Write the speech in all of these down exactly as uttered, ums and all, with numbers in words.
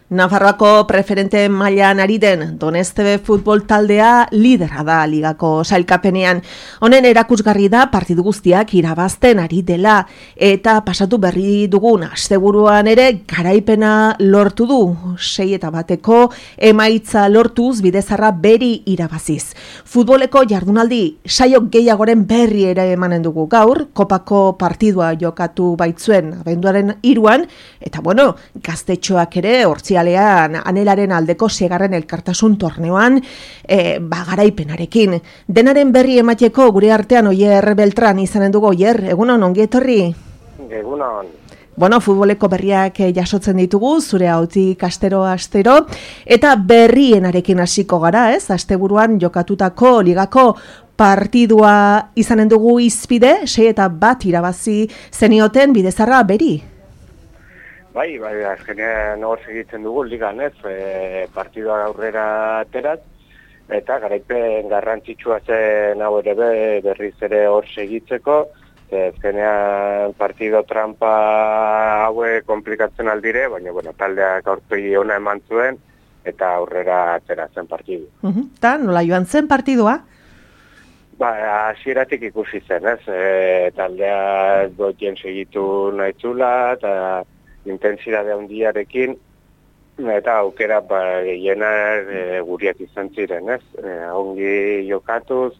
Nafarroako preferente mailan ari den Doneztebe futbol taldea lidera da ligako sailkapenean. Honen erakusgarri da partidu guztiak irabazten ari dela eta pasatu berri dugun asteburuan ere garaipena lortu du. Sei eta bateko emaitza lortuz bidezarra beri irabaziz. Futboleko jardunaldi saio gehiagoren berri ere emanen dugu gaur, kopako partidua jokatu baitzuen abenduaren hiruan eta bueno, gaztetxoak ere hortzi alean anelaren aldeko segarren elkartasun torneoan e, bagaraipenarekin. Denaren berri emateko gure artean Oier Beltran izanen dugu. Oier, egunon, ongi etorri? Egunon. Bueno, futboleko berriak jasotzen ditugu, zure hautik astero astero, eta berrienarekin hasiko gara, ez? Asteburuan jokatutako ligako partidua izanen dugu izpide, sei eta bat irabazi zenioten bidezarra beri. Bai, bai, azkenean hor segitzen dugu ligan, ez, e, partidua aurrera aterat, eta garaipen garrantzitsua zen hau ere be, berriz ere hor segitzeko, e, azkenean partido trampa haue komplikatzen aldire, baina, bueno, taldeak aurpegi ona eman zuen, eta aurrera atera zen partidu. Uh-huh. Ta, nola joan zen partidua? Ba, hasieratik ikusi zen, ez, e, taldea gotien segitu nahi zula, eta intensidade handiarekin, eta aukera ba, gehiena e, guriak izan ziren, ez? E, ongi jokatuz,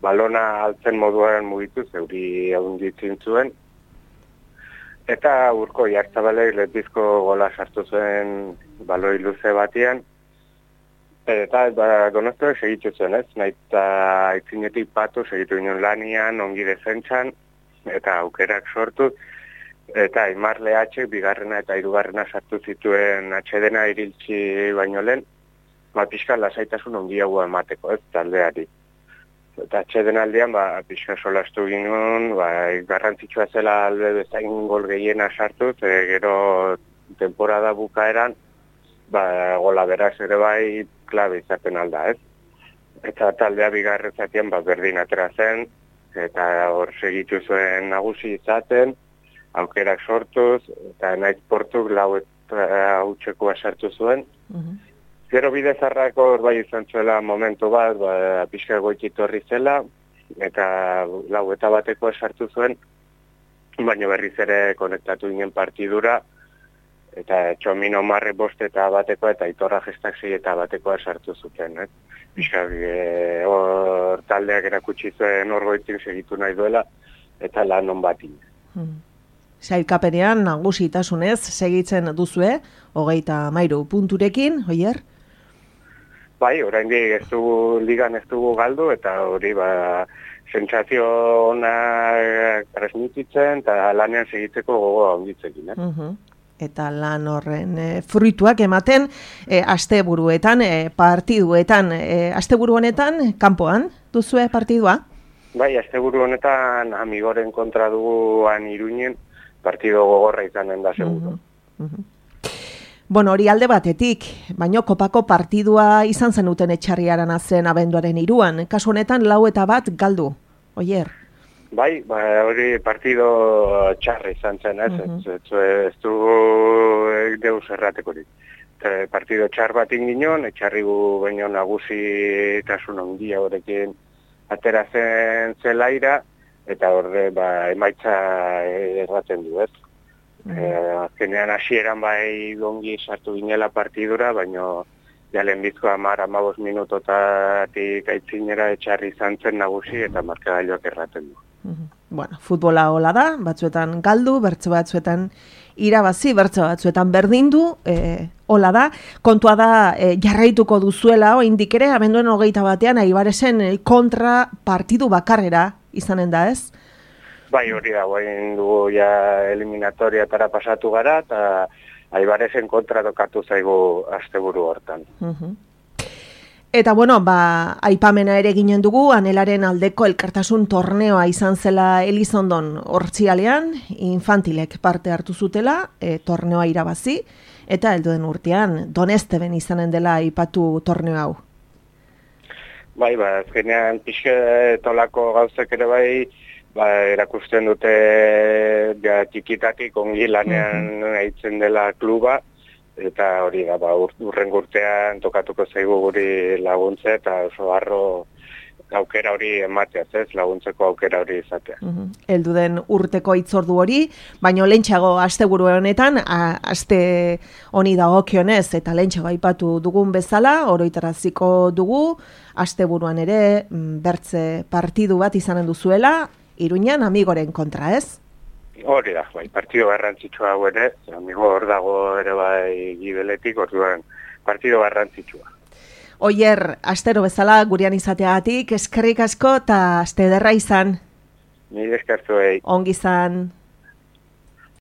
balona altzen moduan mugituz, euri handitzen zuen, eta urko Jartzabalek letizko gola sartu zuen baloi luze batian, eta ba, Doneztebe segitu zuen, ez? Naita aitzinetik patu segitu ginen lanian, ongi defentsan, eta aukerak sortu, eta Aimar Lehatxek bigarrena eta hirugarrena sartu zituen atsedena iriltzi baino lehen, ba, pixka lasaitasun ongiagoa emateko, ez, taldeari. Eta atxeden aldean, ba, pixka solastu ginen, ba, garrantzitsua zela alde bezain gol gehiena sartu, e, gero temporada bukaeran, ba, gola beraz ere bai klabe izaten alda, ez. Eta taldea bigarren zatean, ba, berdin atera zen, eta hor segitu zuen nagusi izaten, aukerak sortuz, eta naiz portuk lau eta hautsekoa sartu zuen. Uh-huh. Gero bidezarrako bai izan zuela momentu bat, ba, pixka goitik horri zela, eta lau eta batekoa sartu zuen, baina berriz ere konektatu ginen partidura, eta Txomino Marre bost eta batekoa, eta Itorra Gestak sei eta batekoa sartu zuten. Eh? Pixka e, hor taldeak erakutsi zuen hor goitik segitu nahi duela, eta lan on batin. Uh-huh. Sailkapenean nagusitasunez segitzen duzue, hogeita hamairu punturekin, Oier? Bai, oraindik ez dugu ligan ez dugu galdu, eta hori ba, sentsazio ona transmititzen, eta lanean segitzeko gogoa onditzekin. Eh? Uh-huh. Eta lan horren e, fruituak ematen, e, asteburuetan, e, partiduetan, e, asteburu honetan, kanpoan duzue partidua? Bai, asteburu honetan Amigoren kontra duguan Iruinen, partido gogorra izanen da seguro. Uh-huh. Uh-huh. Bueno, hori alde batetik, baino kopako partidua izan zenuten etxarriaran zen abenduaren hiruan. Kasu honetan lau eta bat galdu, Oier? Bai, ba, hori partido txarra izan zen, ez? Uh-huh. Ez, ez, ez du deus erratekorik. Partido txar bat inginon, etxarri gu baino nagusi tasun ondia horrekin atera zen zelaira, eta horre ba, emaitza erraten du, ez? Mm. E, azkenean hasieran bai gongi sartu ginela partidura, baina jalen bizko amar amabos minutotatik aitzinera etxarri izan zen nagusi eta markagailuak erraten du. Mm-hmm. Bueno, futbola hola da, batzuetan galdu, bertso batzuetan irabazi, bertso batzuetan berdindu, e, hola da. Kontua da e, jarraituko duzuela, oraindik ere abenduen hogeita batean Aibaresen kontra partidu bakarrera izanen da, ez? Bai, hori da, guain dugu ja eliminatoriatara pasatu gara, eta Aibaresen kontra dokatu zaigu asteburu hortan. Uh-huh. Eta bueno, ba, aipamena ere ginen dugu, Anelaren aldeko elkartasun torneoa izan zela Elizondon hortzialean, infantilek parte hartu zutela, e, torneoa irabazi, eta helduen urtean Donezteben izanen dela aipatu torneo hau. Bai, ba, azkenean pixke tolako gauzek ere bai, ba, erakusten dute ja, txikitatik ongi lanean mm-hmm. aitzen dela kluba, eta hori da, ba, ur, urren urtean tokatuko zaigu guri laguntze, eta oso harro aukera hori emateaz, ez, laguntzeko aukera hori izatea. Uh-huh. Eldu den urteko itzordu hori, baino lehentxeago asteburu honetan, a, aste honi dagokionez eta lehentxeago aipatu dugun bezala, oroitaraziko dugu, asteburuan ere bertze partidu bat izanen duzuela, Iruñan Amigoren kontra, ez? Hori da, bai, partido garrantzitsua hau ere, Amigo hor dago ere bai Gibeletik, orduan partido garrantzitsua. Oier, astero bezala gurean izateagatik, eskerrik asko eta aste ederra izan. Ni eskertuei. Ongi izan.